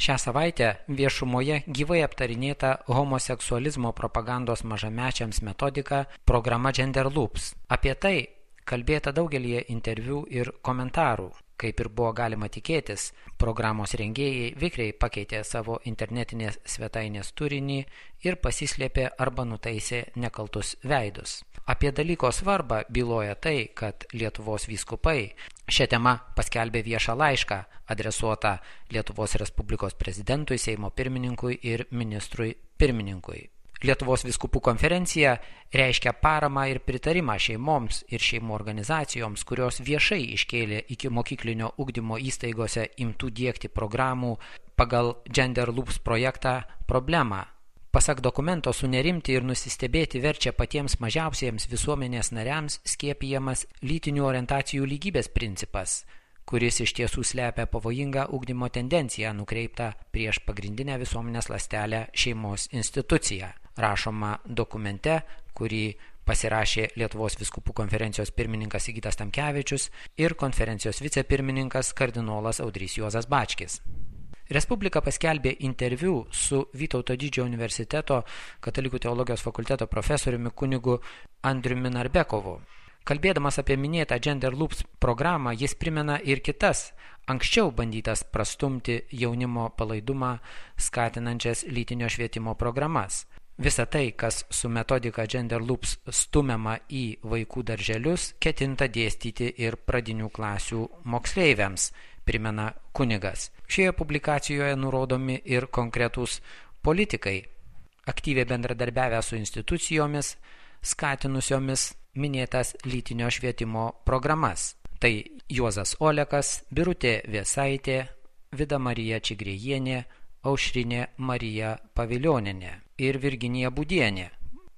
Šią savaitę viešumoje gyvai aptarinėta homoseksualizmo propagandos mažamečiams metodika programa Gender Loops. Apie tai kalbėta daugelį interviu ir komentarų. Kaip ir buvo galima tikėtis, programos rengėjai vikriai pakeitė savo internetinės svetainės turinį ir pasislėpė arba nutaisė nekaltus veidus. Apie dalyko svarbą byloja tai, kad Lietuvos vyskupai šią temą paskelbė viešą laišką adresuotą Lietuvos Respublikos prezidentui, Seimo pirmininkui ir ministrui pirmininkui. Lietuvos vyskupų konferencija reiškia paramą ir pritarimą šeimoms ir šeimų organizacijoms, kurios viešai iškėlė iki mokyklinio ugdymo įstaigose imtų diegti programų pagal Gender Loops projektą problemą. Pasak dokumento, sunerimti ir nusistebėti verčia patiems mažiausiems visuomenės nariams skiepijamas lytinių orientacijų lygybės principas, kuris iš tiesų slepia pavojingą ugdymo tendenciją nukreiptą prieš pagrindinę visuomenės ląstelę šeimos instituciją. Rašoma dokumente, kurį pasirašė Lietuvos vyskupų konferencijos pirmininkas Sigitas Tamkevičius ir konferencijos vicepirmininkas kardinolas Audrys Juozas Bačkis. Respublika paskelbė interviu su Vytauto Didžiojo universiteto Katalikų teologijos fakulteto profesoriumi kunigu Andriumi Narbekovu. Kalbėdamas apie minėtą Gender Loops programą, jis primena ir kitas, anksčiau bandytas prastumti jaunimo palaidumą skatinančias lytinio švietimo programas. Visa tai, kas su metodika Gender Loops stumiama į vaikų darželius, ketinta dėstyti ir pradinių klasių moksleiviams, primena kunigas. Šioje publikacijoje nurodomi ir konkretūs politikai, aktyviai bendradarbiavę su institucijomis, skatinusiomis minėtas lytinio švietimo programas. Tai Juozas Olekas, Birutė Vėsaitė, Vida Marija Čigrėjienė, Aušrinė Marija Pavilionienė ir Virginija Būdienė.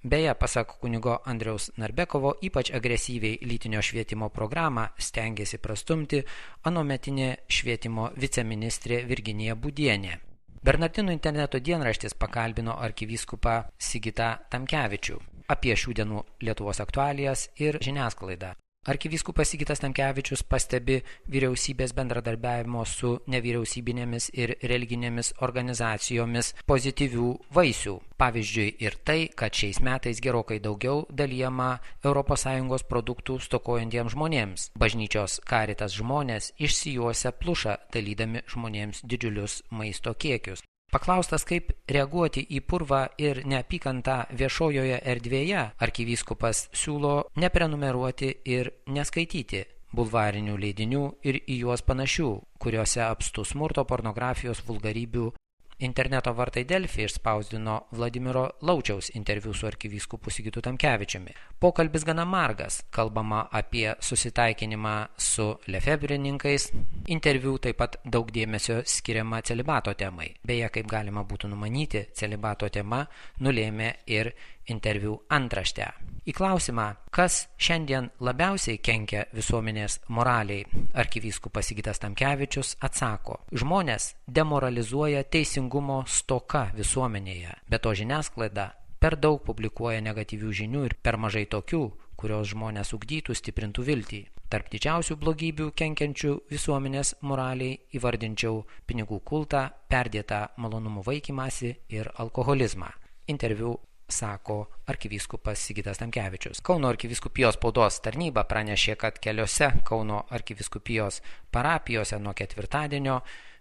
Beje, pasak kunigo Andriaus Narbekovo, ypač agresyviai lytinio švietimo programą stengiasi prastumti anuometinė švietimo viceministrė Virginija Būdienė. Bernardinų interneto dienraštis pakalbino arkivyskupą Sigitą Tamkevičių apie šių dienų Lietuvos aktualijas ir žiniasklaidą. Arkivyskupas Sigitas Tamkevičius pastebi vyriausybės bendradarbiavimo su nevyriausybinėmis ir religinėmis organizacijomis pozityvių vaisių. Pavyzdžiui ir tai, kad šiais metais gerokai daugiau dalijama ES produktų stokojantiems žmonėms. Bažnyčios Caritas žmonės išsijuosia plušą, dalydami žmonėms didžiulius maisto kiekius. Paklaustas, kaip reaguoti į purvą ir neapykantą viešojoje erdvėje, arkivyskupas siūlo neprenumeruoti ir neskaityti bulvarinių leidinių ir į juos panašių, kuriuose apstu smurto, pornografijos, vulgarybių. Interneto vartai Delfi išspausdino Vladimiro Laučiaus interviu su arkivyskupu Sigitu Tamkevičiumi. Pokalbis gana margas, kalbama apie susitaikinimą su lefebrininkais. Interviu taip pat daug dėmesio skiriama celibato temai. Beje, kaip galima būtų numanyti, celibato tema nulėmė ir interviu antraštę. Į klausimą, kas šiandien labiausiai kenkia visuomenės moraliai, arkivyskupas Sigitas Tamkevičius atsako: žmonės demoralizuoja teisingumo stoka visuomenėje, be to žiniasklaida per daug publikuoja negatyvių žinių ir per mažai tokių, kurios žmonės ugdytų, stiprintų viltį. Tarp didžiausių blogybių kenkiančių visuomenės moraliai įvardinčiau pinigų kultą, perdėtą malonumų vaikymąsi ir alkoholizmą. Interviu sako arkivyskupas Sigitas Tamkevičius. Kauno arkivyskupijos spaudos tarnyba pranešė, kad keliose Kauno arkivyskupijos parapijose nuo ketvirtadienio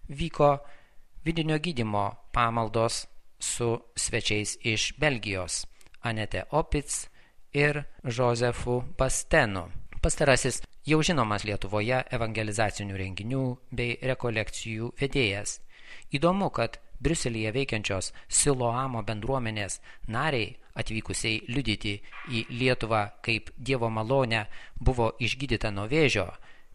vyko vidinio gydymo pamaldos su svečiais iš Belgijos – Anete Opitz ir Josefu Bastenu. Pastarasis jau žinomas Lietuvoje evangelizacinių renginių bei rekolekcijų vedėjas. Įdomu, kad Briuselyje veikiančios Siloamo bendruomenės nariai, atvykusiai liudyti į Lietuvą kaip Dievo malonę, buvo išgydyta nuo vėžio,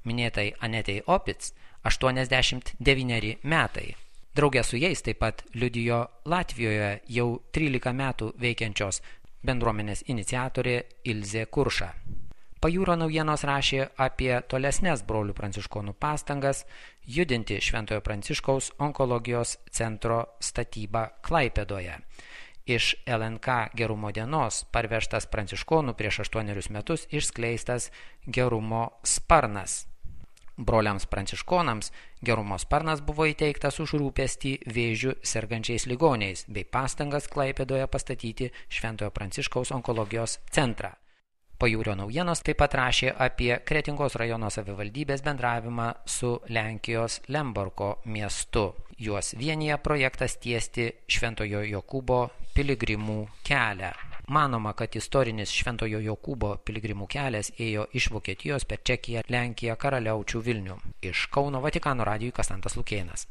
minėtai Anetei Opitz 89 metai. Drauge su jais taip pat liudijo Latvijoje jau 13 metų veikiančios bendruomenės iniciatorė Ilzė Kurša. Pajūro naujienos rašė apie tolesnes brolių pranciškonų pastangas judinti Šventojo Pranciškaus onkologijos centro statybą Klaipėdoje. Iš LNK Gerumo dienos parvežtas pranciškonų prieš 8 metus išskleistas Gerumo sparnas. Broliams pranciškonams gerumo sparnas buvo įteiktas už rūpestį vėžiu sergančiais ligoniais bei pastangas Klaipėdoje pastatyti Šventojo Pranciškaus onkologijos centrą. Pajūrio naujienos taip pat rašė apie Kretingos rajono savivaldybės bendravimą su Lenkijos Lembergo miestu. Juos vienija projektas tiesti Šventojo Jokūbo piligrimų kelią. Manoma, kad istorinis Šventojo Jokūbo piligrimų kelias ėjo iš Vokietijos per Čekiją, Lenkiją, Karaliaučių, Vilnių. Iš Kauno Vatikano radijui Kastantas Lukėnas.